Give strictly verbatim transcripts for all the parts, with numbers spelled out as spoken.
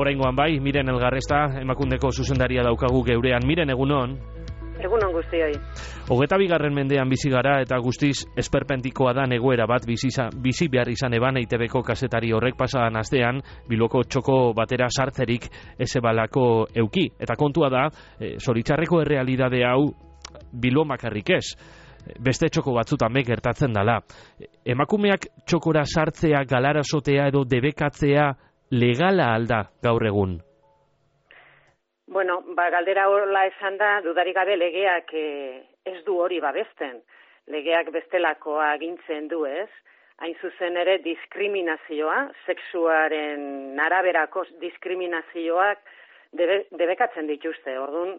oraingoan bai, Miren Elgarresta, Emakundeko zuzendaria daukagu geurean. Miren, egunon? Egunon guztioi. Hogeta bigarren mendean bizi gara eta guztiz esperpentikoa da egoera bat bizi, bizi behar izan eban E I Te Beko kazetari horrek pasadan astean Bilboko txoko batera sartzerik ezebalako euki. Eta kontua da, e, zoritxarreko errealidade hau Bilbo makarrik ez. Beste txoko batzutan be gertatzen dala. Emakumeak txokora sartzea, galarasotea edo debekatzea legala alda gaur egun? Bueno, ba, galdera horla esan da, dudarik gabe legeak eh, ez du hori babesten. Legeak bestelakoa agintzen du ez. Hain zuzen ere diskriminazioa, sexuaren araberako diskriminazioak debe, debekatzen dituzte. Orduan,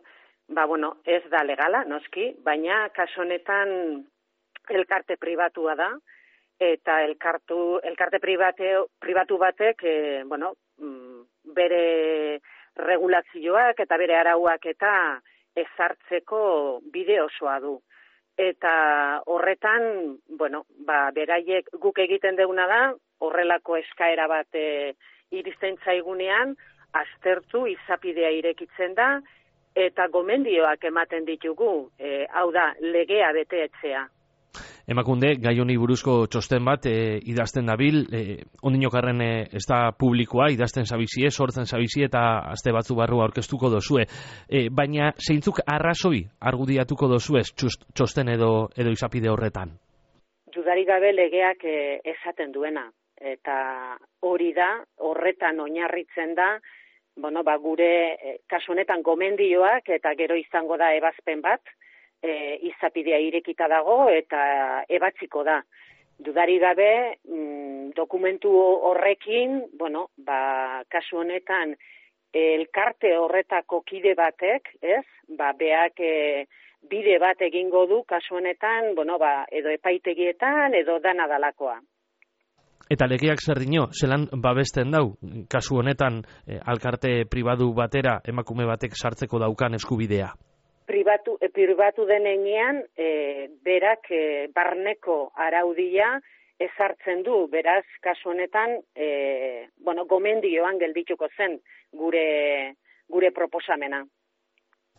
ba, bueno, ez da legala, noski, baina kasu honetan elkarte pribatua da, eta elkartu, elkarte pribate, pribatu batek, e, bueno, bere regulazioak eta bere arauak eta ezartzeko bide osoa du. Eta horretan, bueno, ba, beraiek guk egiten deguna da, horrelako eskaera bat e, iristen zaigunean, aztertu izapidea irekitzen da, eta gomendioak ematen ditugu, e, hau da, legea beteetzea. Emakunde, gai honi buruzko txosten bat e, idazten dabil, e, ondinokarren e, ez da publikoa, idazten zabizie, sortzen zabizie eta aste batzu barru aurkeztuko dozue. E, baina zeintzuk arrazoi argudiatuko dozuez txosten edo, edo izapide horretan? Dudarik gabe legeak e, esaten duena, eta hori da, horretan oinarritzen da, bueno, ba, gure e, kasu honetan gomendioak eta gero izango da ebazpen bat, e, izapidea irekita dago eta ebatziko da. Dudari gabe, mm, dokumentu horrekin, bueno, ba, kasu honetan elkarte horretako kide batek, ez? Ba, beak e, bide bat egingo du kasu honetan, bueno, ba, edo epaitegietan edo dana dalakoa. Eta legeak zer dino, zelan babesten dau, kasu honetan eh, alkarte pribatu batera emakume batek sartzeko daukan eskubidea? Pribatu, eh, pribatu denean, eh, berak eh, barneko araudia ezartzen du, beraz, kasu honetan, eh, bueno, gomendioan geldituko zen gure, gure proposamena.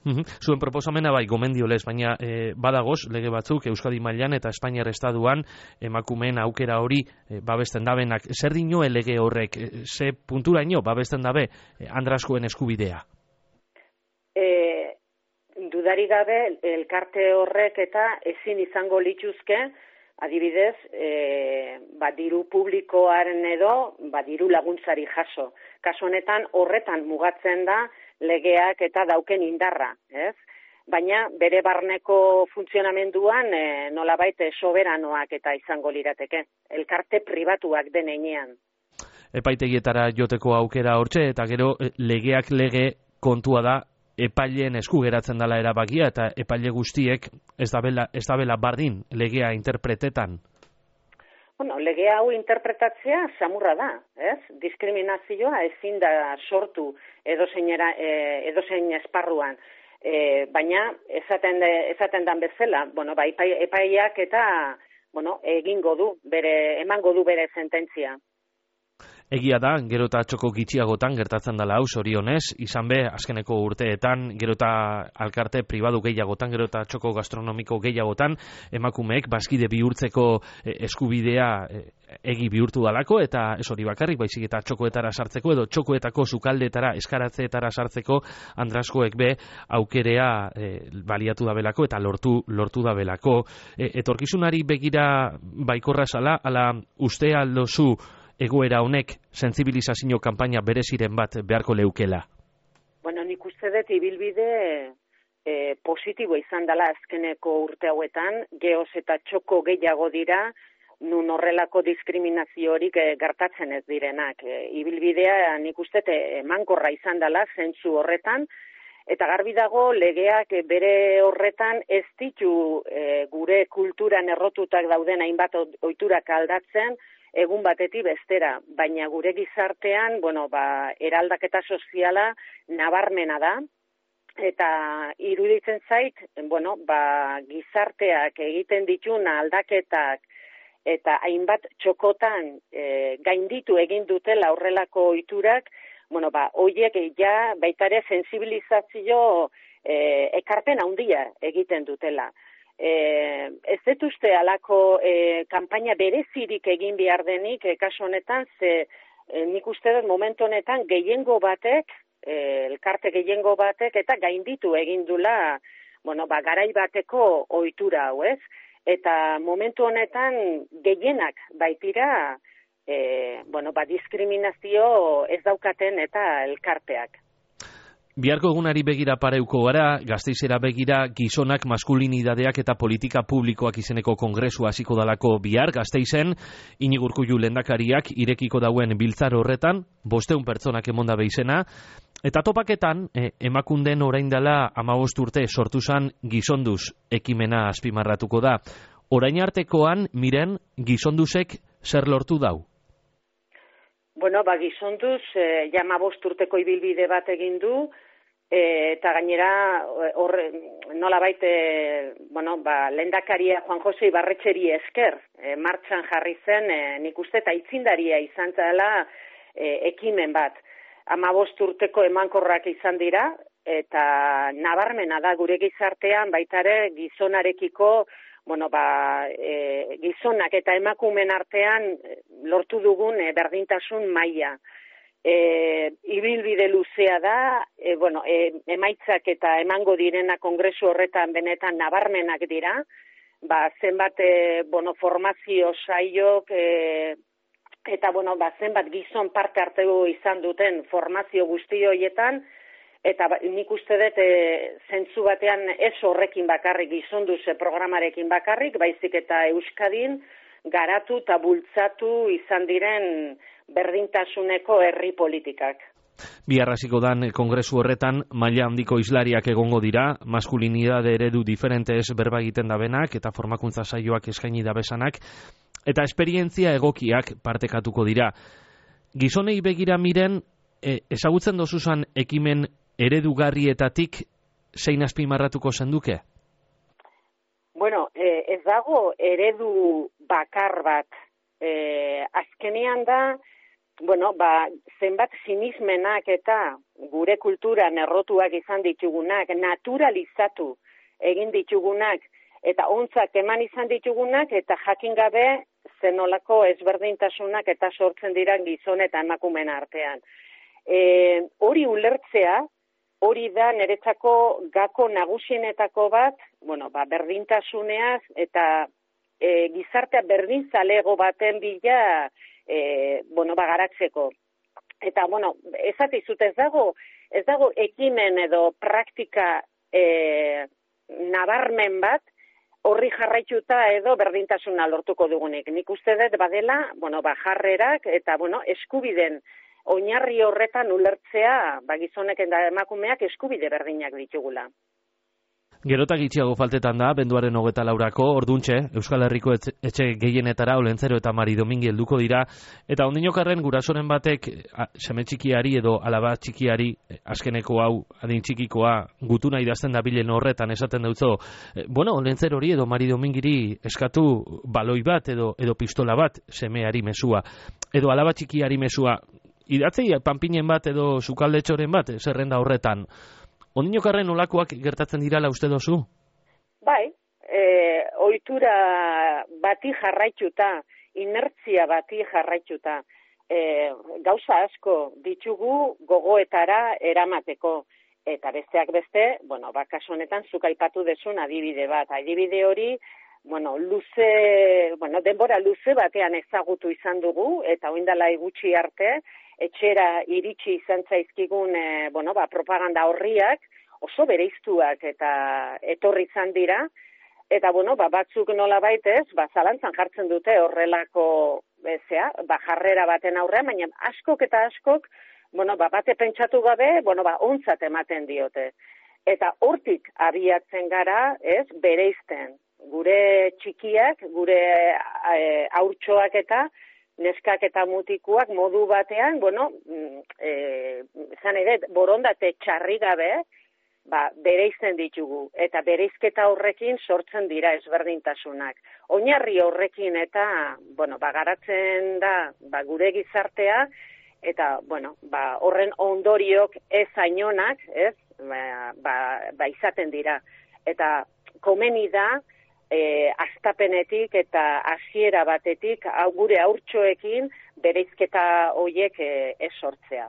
Zuen proposamena bai gomendio lez, baina e, badagoz lege batzuk Euskadi mailan eta Espainiar estaduan emakumeen aukera hori e, babesten dabenak. Zer dino lege horrek, e, ze punturaino babesten dabe e, andraskoen eskubidea? E, dudari gabe elkarte horrek eta ezin izango lituzke, adibidez, e, ba, diru publikoaren edo ba, diru laguntzari jaso. Kasu honetan horretan mugatzen da legeak eta dauken indarra, ez? Baina bere barneko funtzionamenduan e, nolabait soberanoak eta izango lirateke, elkarte pribatuak denean. Epaitegietara joteko aukera hortxe, eta gero legeak lege kontua da epaileen esku geratzen dela erabakia, eta epaile guztiek ez dabela, ez dabela bardin legea interpretetan. Bueno, lege hau interpretatzea samurra da, ez? Diskriminazioa ezin da sortu edozein e, edozein esparruan. E, baina esaten de, esaten dan bezala, bueno, ba, epai, epaiak eta bueno, egingo du, bere emango du bere sententzia. Egia da, gero eta txoko gitxiagotan gertatzen dela hau, zorionez, izan be, azkeneko urteetan, gero eta alkarte pribadu gehiagotan, gero eta txoko gastronomiko gehiagotan, emakumeek bazkide bihurtzeko eskubidea egi bihurtu dalako, eta ez hori bakarrik, baizik eta txokoetara sartzeko, edo txokoetako sukaldeetara, eskaratzeetara sartzeko, andraskoek be, aukerea e, baliatu dabelako, eta lortu, lortu dabelako. E, etorkizunari begira baikorra zala, ala uste aldozu, egoera honek sentsibilizazio kanpaina bereziren bat beharko leukela? Bueno, nik uste dut ibilbide e, positibo izan dela azkeneko urte hauetan, geoz eta txoko gehiago dira, nun horrelako diskriminaziorik e, gertatzen ez direnak. E, ibilbidea nik uste emankorra izan dela zentzu horretan, eta garbi dago legeak bere horretan ez ditu e, gure kulturan errotutak dauden hainbat ohiturak aldatzen, egun batetik bestera, baina gure gizartean, bueno, ba, eraldaketa soziala nabarmena da, eta iruditzen zait, bueno, ba, gizarteak egiten ditun aldaketak eta hainbat txokotan e, gainditu egin dutela horrelako ohiturak, bueno, ba, hoiek ja baitare sensibilizazio e, ekarpen handia egiten dutela. E, ez dut uste alako e, kanpaina berezirik egin behar denik, e, kasu honetan, ze e, nik uste dut momentu honetan gehiengo batek, e, elkarte gehiengo batek, eta gainditu egin dula, bueno, ba, garai bateko ohitura hau, ez? Eta momentu honetan gehienak baitira, e, bueno, ba, diskriminazio ez daukaten eta elkarteak. Biharko egunari begira pareuko gara, Gasteizera begira gizonak maskulinidadeak eta politika publikoak izeneko kongresua hasiko dalako bihar Gasteizen, Iñigo Urkullu lehendakariak irekiko dauen biltzar horretan, bosteun pertsonak emonda izena, eta topaketan, eh, emakunden orain dela hamabost urte sortu zan gizonduz ekimena azpimarratuko da. Orain artekoan, miren, gizonduzek zer lortu dau? Bueno, ba, gizonduz, e, jama bost urteko ibilbide bat egin du, e, eta gainera, horre, nola baite, bueno, ba, lehendakaria Juan Jose Ibarretxeri esker, e, martxan jarri zen, e, nik uste, eta itzindaria izan zela e, ekimen bat. Hama bost urteko emankorrak izan dira, eta nabarmena da gure gizartean, baitare gizonarekiko, bueno, ba, e, gizonak eta emakumen artean lortu dugun e, berdintasun maila. E, ibilbide luzea da, e, bueno, e, emaitzak eta emango direna kongresu horretan benetan nabarmenak dira, ba, zenbat e, bueno, formazio saiok e, eta bueno, ba, zenbat gizon parte hartu izan duten formazio guzti horietan, eta ba, nik uste dut e, zentzu batean ez horrekin bakarrik, gizonduze programarekin bakarrik, baizik eta Euskadin garatu eta bultzatu izan diren berdintasuneko herri politikak. Bihar hasiko dan kongresu horretan maila handiko islariak egongo dira, maskulinidade eredu diferentez berba egiten dabenak eta formakuntza saioak eskaini dabesanak, eta esperientzia egokiak partekatuko dira. Gizonei begira miren, e, ezagutzen dozuzan ekimen eredugarrietatik zein azpimarratuko zenduke? Bueno, eh, ez dago eredu bakar bat. Eh, azkenean da, bueno, ba, zenbat sinismenak eta gure kulturan errotuak izan ditugunak, naturalizatu egin ditugunak, eta ontzak eman izan ditugunak, eta jakin gabe zenolako ezberdintasunak eta sortzen dira gizon eta emakumen artean. E, hori ulertzea, hori da niretzako gako nagusienetako bat, bueno, ba, berdintasuneaz eta e, gizartea berdinzalego baten bila e, bueno, ba, garatzeko. Eta, bueno, ezatizut ez dago, ez dago ekimen edo praktika e, nabarmen bat, horri jarraituta edo berdintasuna lortuko dugunik. Nik uste dut badela, bueno, ba, jarrerak eta, bueno, eskubiden oinarri horretan ulertzea, ba, gizonek eta emakumeak eskubide berdinak ditugula. Gerota gitxiago faltetan da, benduaren hogeta laurako, orduntxe, Euskal Herriko etxe gehienetara Olentzero eta Mari Domingi helduko dira, eta ondinokarren gurasoren batek seme txikiari edo alaba txikiari, azkeneko hau, adin txikikoa, gutuna idazten da bilen horretan esaten dutzo, bueno, Olentzero hori edo Mari Domingiri eskatu baloi bat edo, edo pistola bat semeari mesua, edo alaba txikiari mesua, idatzei panpinen bat edo sukaldetxoren bat, zerrenda horretan. Ondinokarren olakoak gertatzen dirala uste dozu? Bai, e, ohitura bati jarraituta, inertzia bati jarraituta, e, gauza asko ditugu gogoetara eramateko, eta besteak beste, bueno, bakaso honetan zuk aipatu dezun adibide bat, adibide hori, bueno, luze, bueno, denbora luze batean ezagutu izan dugu, eta oindala gutxi arte, etxera iritsi izan zaizkigun e, bueno, ba, propaganda horriak oso bereiztuak eta etorri izan dira, eta bueno, ba, batzuk nola baitez, ba, zalantzan jartzen dute horrelako bezea, ba, jarrera baten aurrean, baina askok eta askok, bueno, ba, bate pentsatu gabe, bueno, ba, ontzat ematen diote. Eta hortik abiatzen gara, ez, bereizten. Gure txikiak, gure e, haurtxoak eta neskak eta mutikuak modu batean, bueno, e, zan ere, borondate txarri gabe, ba, bereizten ditugu, eta bereizketa horrekin sortzen dira ezberdintasunak. Oinarri horrekin eta, bueno, ba, garatzen da, ba, gure gizartea, eta, bueno, ba, horren ondoriok ez ainonak, ez, ba, ba, ba izaten dira. Eta komeni da, e, astapenetik eta hasiera batetik, gure haurtxoekin bereizketa hoiek e, ez sortzea.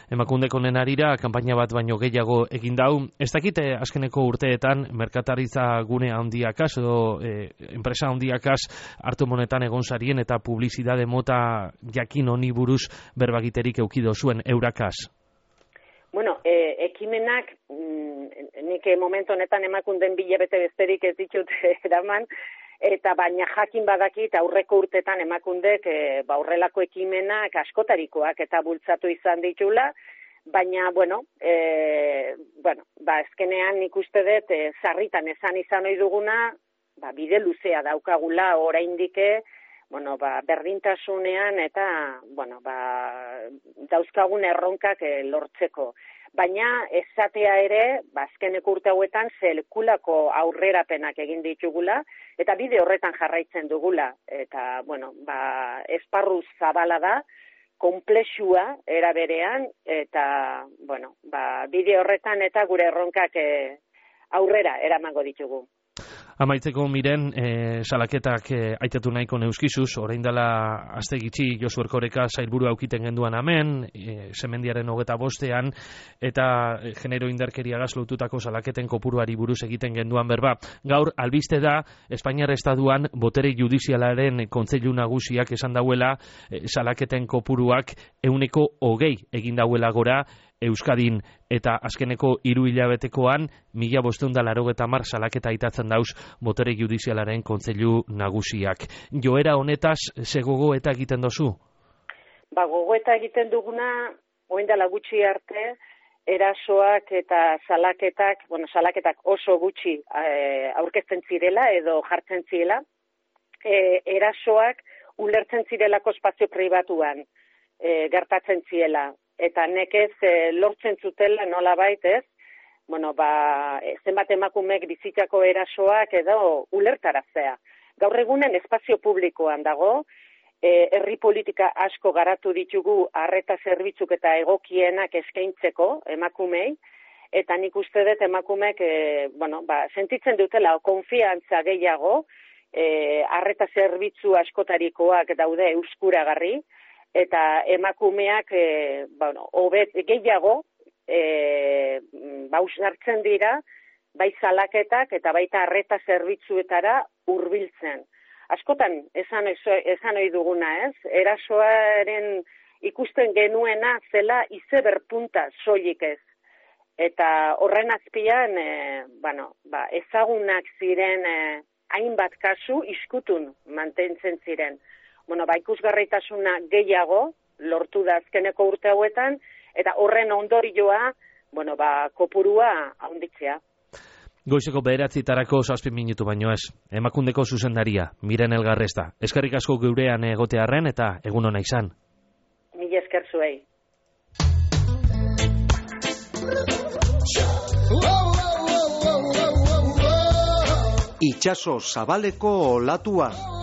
Emakundeko honen arira, kanpaina bat baino gehiago egin dau. Ez dakite azkeneko urteetan, merkataritza gune handiakaz, edo e, enpresa handiakaz hartu monetan egon zarien eta publizidade mota jakin honi buruz berbagiterik eukido zuen eurakaz? Bueno, e, ekimenak, mm, nik momentu honetan emakunden bilabete besterik ez ditut eraman, eta baina jakin badakit aurreko urtetan emakundek e, ba, horrelako ekimenak askotarikoak eta bultzatu izan ditula, baina, bueno, e, bueno ba, ezkenean nik uste dut e, sarritan esan izan ohi duguna, ba, bide luzea daukagula oraindike, bueno, ba, berdintasunean eta, bueno, ba, dauzkagun erronkak e, lortzeko. Baina esatea ere, ba, azkeneko urte hauetan zelkulako aurrerapenak egin ditugula, eta bide horretan jarraitzen dugula. Eta, bueno, ba, esparru zabala da, konplexua era berean, eta, bueno, ba, bide horretan eta gure erronkak e, aurrera eramango ditugu. Amaitzeko miren, e, salaketak e, aitatu nahiko neuskizuz, orain dela aste gitxi Josu Erkoreka sailburu aukiten genduan hemen, e, semendiaren hogeta bostean, eta e, genero indarkeriagaz lotutako salaketen kopuruari buruz egiten genduan berba. Gaur, albiste da, Espainiar Estaduan botere judizialaren kontseilu nagusiak esan dauela, e, salaketen kopuruak euneko hogei egin dauela gora, Euskadin, eta azkeneko hiru hilabetekoan mila bostehun eta laurogeita hamar salaketa aitatzen dauz botere judizialaren kontseilu nagusiak. Joera honetaz, ze gogoeta egiten dozu? Ba, gogoeta egiten duguna, orain dela gutxi arte, erasoak eta salaketak, bueno, salaketak oso gutxi e, aurkezten zirela edo jartzen zirela, e, erasoak ulertzen zirelako espazio pribatuan e, gertatzen zirela. Eta nekez e, lortzen zutela nolabait, ez? Bueno, ba, zenbat emakumek bizitzako erasoak edo ulertaraztea. Gaur egunen espazio publikoan dago, e, herri politika asko garatu ditugu arreta zerbitzuk eta egokienak eskaintzeko emakumei, eta nik uste dut emakumek, e, bueno, ba, sentitzen dutela konfiantza gehiago, e, arreta zerbitzu askotarikoak daude euskuragarri, eta emakumeak e, bueno, obet, gehiago e, bausartzen dira, bai salaketak eta baita arreta zerbitzuetara hurbiltzen. Askotan, esan, esan ohi duguna, ez? Erasoaren ikusten genuena zela izeber punta soilik ez. Eta horren azpian, e, bueno, ba, ezagunak ziren e, hainbat kasu iskutun mantentzen ziren. Bueno, ba, ikusgarritasuna gehiago lortu da azkeneko urte hauetan, eta horren ondorioa, bueno, ba, kopurua handitzea. Goizeko bederatzitarako zazpi minutu baino ez. Emakundeko zuzendaria, Miren Elgarresta. Eskerrik asko geurean egotearren eta egun ona izan. Mila esker zuei. Itxaso zabaleko olatua.